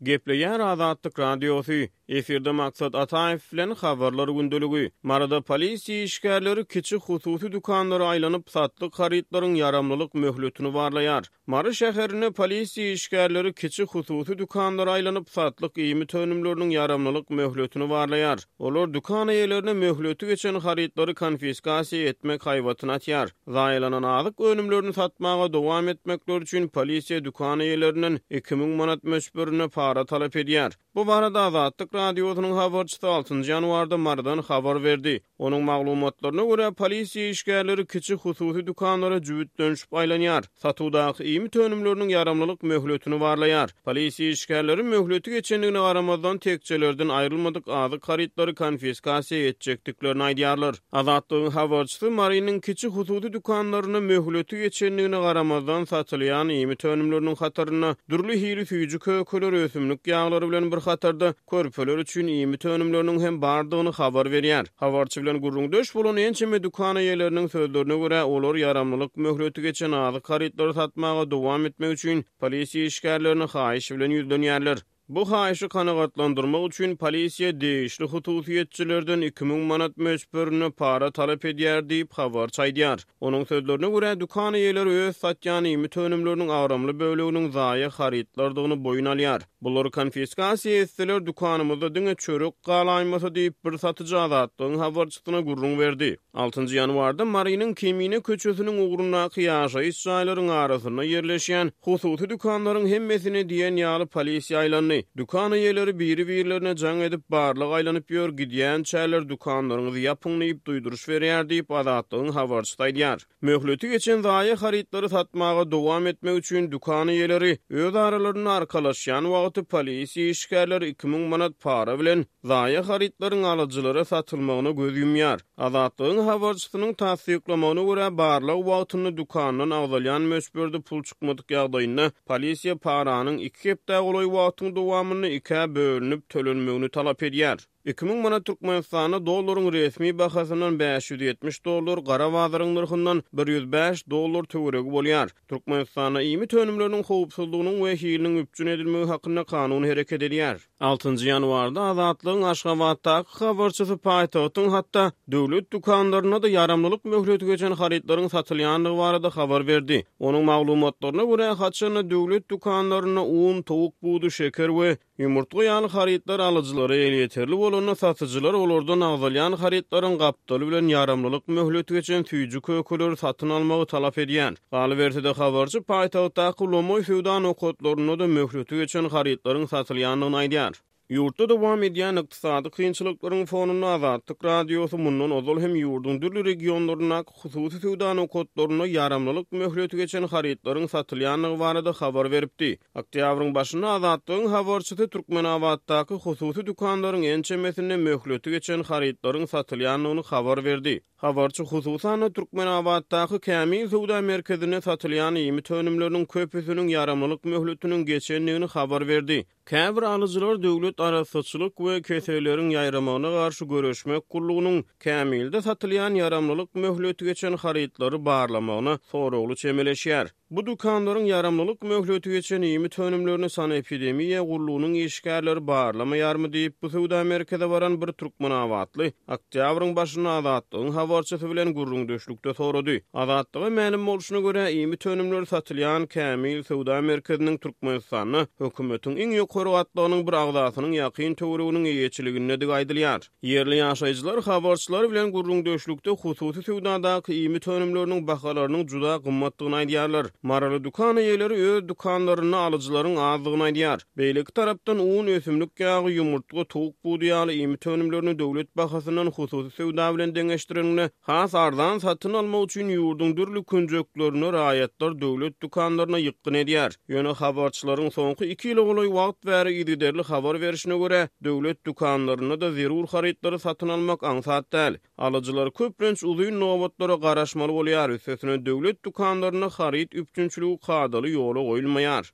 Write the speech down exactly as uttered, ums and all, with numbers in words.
Gepleýär Azatlyk Radiosy, efirde Maksat Ataýew bilen Habarlar gündeligi. Maryda polisiýa işgärleri kiçi hususy dükanlara aýlanyp, satlyk harytlaryň ýaramlylyk möhletini barlaýar. Mary şäherinde polisiýa işgärleri kiçi hususy dükanlara aýlanyp, satlyk iýmit önümleriniň ýaramlylyk möhletini barlaýar. Olar dükan eýelerine möhleti geçen harytlary konfiskasiýa etmek haýbatyny atýar. Zaýalanan azyk önümlerini satmaga dowam etmekleri üçin polisiýa dükan eýelerinden iki müň manat möçberinde para talap edýär. Bu barada Azatlyk Radiosynyň habarçysy altynjy ýanwarda Marydan habar berdi. Onuň maglumatlaryna görä, polisiýa işgärleri kiçi hususy dükanlara jübütlenişip aýlanýar. Satuwdaky iýmit önümleriniň ýaramlylyk möhletini barlaýar. Polisiýa işgärleri möhleti geçendigine garamazdan tekjelerden aýrylmadyk azyk harytlary konfiskasiýa etjekdiklerini aýdýarlar. Azatlygyň habarçysy Marynyň kiçi hususy dükanlarynda möhleti geçendigine garamazdan satylýan iýmit önümleriniň hatarynda dürli hili süýji kökeler, ösümlik ýaglary bilen bir hatarda körpeler üçin iýmit önümleriniň hem bardygyny habar berýär. Habarçy bilen gürrüňdeş bolan ençeme dükan eýeleriniň sözlerine görä, olar ýaramlylyk möhleti geçen azyk harytlary satmaga dowam etmek üçin polisiýa işgärlerine haýyş bilen ýüzlenýärler. Bu haýyşy kanagatlandyrmak üçin polisiýa degişli hususyýetçilerden iki müň manat möçberinde para talap edýär diýip, habarçy aýdýar. Onuň sözlerine görä, dükan eýeleri öz satýan iýmit önümleriniň agramly böleginiň zaýa harytlardygyny boýun alýar. Bulary konfiskasiýa etseler, dükanymyzda diňe çörek galaýmasa diýip, bir satyjy Azatlygyň habarçysyna gürrüň berdi. Altynjy ýanwarda Marynyň Kemine köçesiniň ugrundaky ýaşaýyş jaýlaryň arasynda ýerleşýän hususy dükanlaryň hemmesine diýen ýaly polisiýa aýlandy. Dükan eýeleri biri-birlerine jaň edip, barlag aýlanyp ýör, gidýänçäler dükanlaryňyzy ýapyň diýip duýduryş berýär diýip, Azatlygyň habarçysy aýdýar. Möhleti geçen zaýa harytlary satmaga dowam etmek üçin dükan eýeleri öz aralarynda arkalaşýan wagty polisiýa işgärleri iki müň manat para bilen zaýa harytlaryň alyjylara satylmagyna göz ýumýar. Azatlygyň habarçysynyň tassyklamagyna görä, barlag wagtynda dükandan agzalýan möçberde pul çykmadyk ýagdaýynda polisiýa paranyň iki hepdä golaý wagtyň dowamynda ikä bölünip tölenmegini talap edýär. Iki müň manat Türkmenistanda dollaryň resmi bahasyndan bäş ýüz ýetmiş dollar, gara bazaryň nyrhyndan bir ýüz bäş dollar töweregi bolýar. Türkmenistanda iýmit önümleriniň howpsuzlygynyň we hiliniň üpjün edilmegi hakynda kanun hereket edýär. Altynjy ýanwarda Azatlygyň Aşgabatdaky habarçysy paýtagtyň hatda döwlet dükanlarynda-da ýaramlylyk möhleti geçen harytlaryň satylýandygy barada habar berdi. Onuň maglumatlaryna görä, haçanda döwlet dükanlarynda un, towuk budy, şeker we ýumurtga ýaly harytlar alyjylara elýeterli bolanda, satyjylar olardan agzalýan harytlaryň gapdaly bilen ýaramlylyk möhleti geçen süýji kökeleri satyn almagy talap edýär. Galyberse-de, habarçy paýtagtdaky lomaý söwda nokatlarynda-da möhleti geçen harytlaryň satylýandygyny aýdýar. Ýurtda dowam edýän ykdysady kynçylyklaryň fonunda Azatlyk Radiosy mundan ozal hem ýurduň dürli regionlaryndaky hususy söwda nokatlarynda ýaramlylyk möhleti geçen harytlaryň satylýandygy barada habar beripdi. Oktýabryň başynda Azatlygyň habarçysy Türkmenabatdaky hususy dükanlaryň ençemesinde möhleti geçen harytlaryň satylýandygyny habar berdi. Habarçy hususan-da Türkmenabatdaky Kämil söwda merkezinde satylýan iýmit önümleriniň köpüsiniň ýaramlylyk möhletiniň geçendigini habar berdi. Käbir alyjylar döwlet arassaçylyk we keselleriň ýaýramagyna garşy göreşmek gullugynyň Kämilde satylýan ýaramlylyk möhleti geçen harytlary barlamagyna soragly çemeleşýär. Bu dükanlaryň ýaramlylyk möhleti geçen iýmit önümlerini sanepidemiýa gullugynyň işgärleri barlamaýarmy diýip, bu söwda merkeze baran bir türkmenabatly oktýabryň başynda Azatlygyň habarçysy bilen gürrüňdeşlikde sorady. Azatlyga mälim bolşuna görä, iýmit önümleri satylýan Kämil söwda merkeziniň Türkmenistanda hökümetiň iň ýokary gatlagynyň bir agzasynyň ýakyn töwereginiň eýeçiligindedigi aýdylýar. Ýerli ýaşaýjylar habarçylar bilen gürrüňdeşlikde hususy söwdadaky iýmit önümleriniň bahalarynyň juda gymmatdygyny aýdýarlar. Maryly dükan eýeleri öz dükanlarynda alyjylaryň azdygyny aýdýar. Beýleki tarapdan un, ösümlik ýagy, ýumurtga, towuk budy ýaly iýmit önümlerini döwlet bahasyndan hususy söwda bilen deňeşdireniňde has arzan satyn almak üçin ýurduň dürli künjeklerinde raýatlar döwlet dükanlaryna ýykgyn edýär. Ýöne habarçylaryň soňky iki ýyla golaý wagt bäri yzygiderli habar berşine görä, döwlet dükanlarynda-da zerur harytlary satyn almak aňsat däl. Alyjylar köplenç uzyn nobatlara garaşmaly bolýar, üstesine döwlet dükanlarynda haryt üpjünçiligi kadaly ýola goýulmaýar.